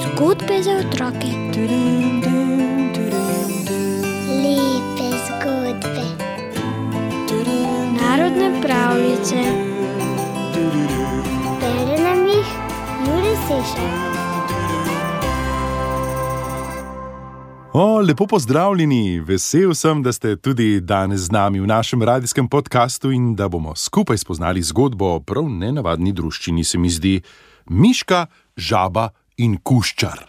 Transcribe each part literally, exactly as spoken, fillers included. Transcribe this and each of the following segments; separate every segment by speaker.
Speaker 1: Zgodbe za otroke.
Speaker 2: Lepe zgodbe.
Speaker 1: Narodne pravljice.
Speaker 2: Bere nam jih Jure Sešar.
Speaker 3: O, lepo pozdravljeni, vesel sem, da ste tudi danes z nami v našem radijskem podkastu in da bomo skupaj spoznali zgodbo o prav nenavadni druščini, se mi zdi, Miška, žaba in kuščar.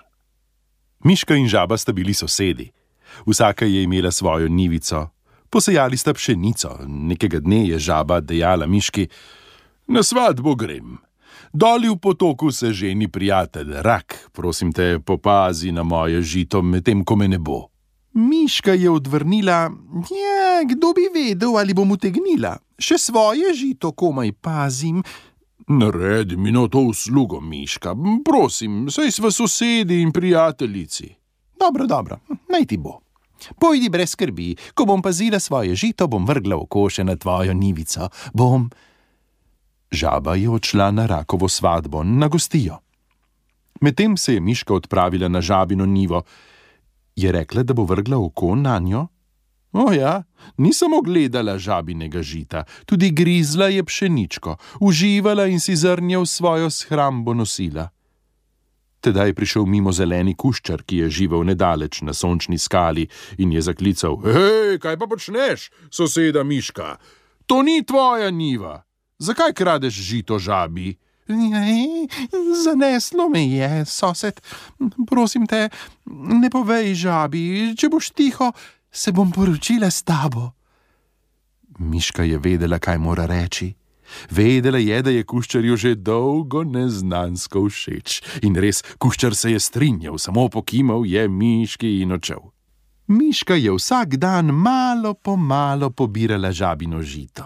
Speaker 3: Miška in žaba sta bili sosedi. Vsaka je imela svojo njivico. Posejali sta pšenico. Nekega dne je žaba dejala Miški: "Na svatbo grem. Doli v potoku se ženi prijatelj Rak, prosim te, popazi na moje žito, medtem ko me ne bo." Miška je odvrnila: "Ja, kdo bi vedel, ali bom utegnila? Še svoje žito komaj pazim." "Naredi mi no to uslugo, Miška, prosim, saj sva sosedi in prijateljici." "Dobro, dobro, naj ti bo. Pojdi brez skrbi, ko bom pazila svoje žito, bom vrgla v koše na tvojo njivico. Bom..." Žaba je odšla na Rakovo svatbo, na gostijo. Medtem se je Miška odpravila na žabino njivo. Je rekla, da bo vrgla oko nanjo? O ja, ni samo gledala žabinega žita, tudi grizla je pšeničko, uživala in si zrnje v svojo shrambo nosila. Tedaj je prišel mimo zeleni kuščar, ki je živel nedaleč na sončni skali, in je zaklical: "Hej, kaj pa počneš, soseda Miška? To ni tvoja njiva. Zakaj kradeš žito žabi?" "Ej, zaneslo me je, sosed. Prosim te, ne povej žabi, če boš tiho, se bom poročila s tabo." Miška je vedela, kaj mora reči. Vedela je, da je kuščarju že dolgo neznansko všeč. In res, kuščar se je strinjal, samo pokimal je Miški in odšel. Miška je vsak dan malo po malo pobirala žabino žito.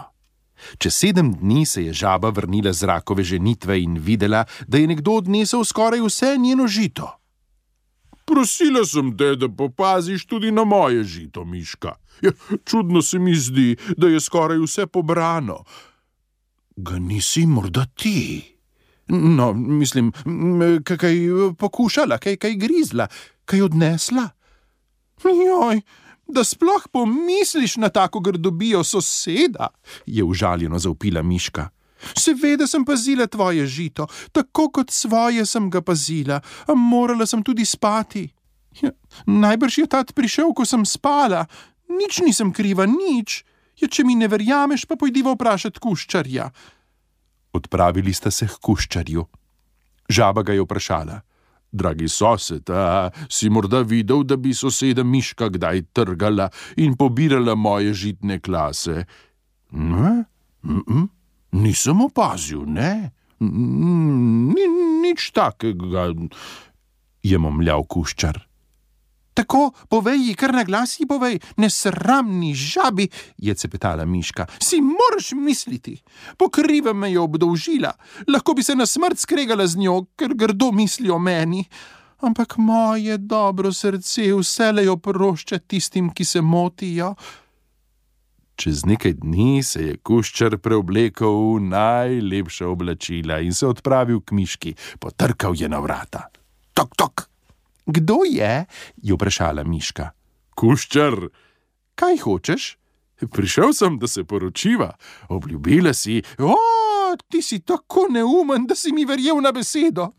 Speaker 3: Čez sedem dni se je žaba vrnila z Rakove ženitve in videla, da je nekdo odnesel skoraj vse njeno žito. "Prosila sem te, da popaziš tudi na moje žito, Miška. Ja, čudno se mi zdi, da je skoraj vse pobrano." "Ga nisi morda ti? No, mislim, kaj pokušala, kaj, kaj grizla, kaj odnesla?" "Joj, da sploh pomisliš na tako grdobijo, soseda," je užaljeno zavpila Miška. "Seveda sem pazila tvoje žito, tako kot svoje sem ga pazila, a morala sem tudi spati. Ja, najbrž je tat prišel, ko sem spala. Nič nisem kriva, nič. Ja, če mi ne verjameš, pa pojdiva vprašat kuščarja." Odpravili sta se k kuščarju. Žaba ga je vprašala: "Dragi sosed, a si morda videl, da bi soseda Miška kdaj trgala in pobirala moje žitne klase?" "Ne, mm-mm, nisem opazil, ne, Ni, nič takega," je momljal kuščar. "Tako, povej ji, kar na glas ji povej, nesramni žabi," je cepetala Miška. "Si moraš misliti, po krivem me je obdolžila, lahko bi se na smrt skregala z njo, ker grdo misli o meni. Ampak moje dobro srce vselej oprošča tistim, ki se motijo." Čez nekaj dni se je kuščar preoblekel v najlepša oblačila in se odpravil k Miški. Potrkal je na vrata. "Tok, tok." "Kdo je?" je vprašala Miška. "Kuščar." "Kaj hočeš?" "Prišel sem, da se poročiva. Obljubila si..." "O, ti si tako neumen, da si mi verjel na besedo.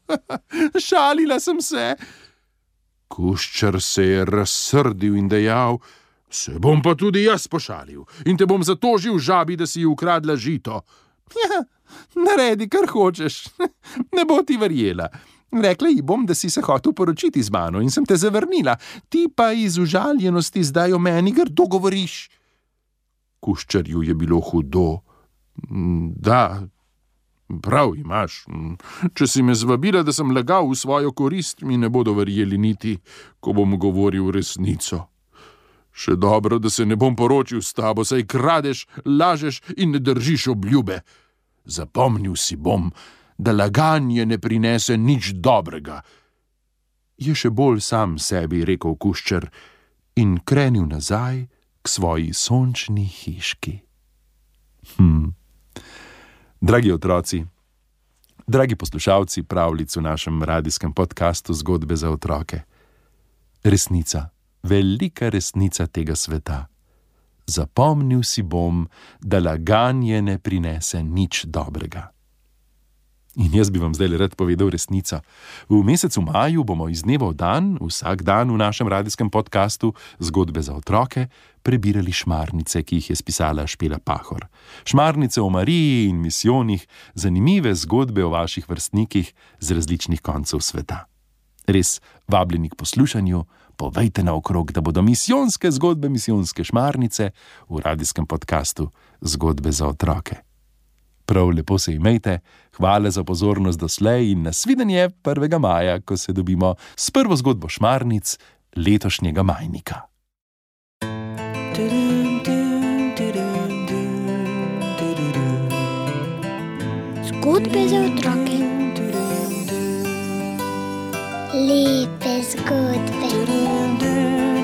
Speaker 3: Šalila sem se." Kuščar se je razsrdil in dejal: "Se bom pa tudi jaz pošalil in te bom zatožil žabi, da si ji ukradla žito." "Ja, naredi, kar hočeš, ne bo ti verjela. Rekla ji bom, da si se hotel poročiti z mano in sem te zavrnila, ti pa iz užaljenosti zdaj o meni grdo govoriš." Kuščarju je bilo hudo. "Da, prav imaš. Če si me zvabila, da sem lagal v svojo korist, mi ne bodo verjeli niti, ko bom govoril resnico. Še dobro, da se ne bom poročil s tabo, saj kradeš, lažeš in ne držiš obljube. Zapomnil si bom, da laganje ne prinese nič dobrega." Je še bolj sam sebi rekel kuščar in krenil nazaj k svoji sončni hiški. Hm. Dragi otroci, Dragi poslušalci pravljic v našem radijskem podkastu Zgodbe za otroke. Resnica, velika resnica tega sveta. Zapomnil si bom, da laganje ne prinese nič dobrega. In jaz bi vam zdaj rad povedal resnico. V mesecu maju bomo iz dneva v dan, vsak dan v našem radijskem podkastu Zgodbe za otroke, prebirali šmarnice, ki jih je spisala Špela Pahor. Šmarnice o Mariji in misijonih, zanimive zgodbe o vaših vrstnikih z različnih koncev sveta. Res vabljeni k poslušanju, povejte naokrog, da bodo misijonske zgodbe, misijonske šmarnice v radijskem podkastu Zgodbe za otroke. Prav lepo se imejte, hvala za pozornost doslej in nasvidenje prvega maja, ko se dobimo s prvo zgodbo šmarnic letošnjega majnika.
Speaker 1: Zgodbe za otroke.
Speaker 2: Lepe zgodbe.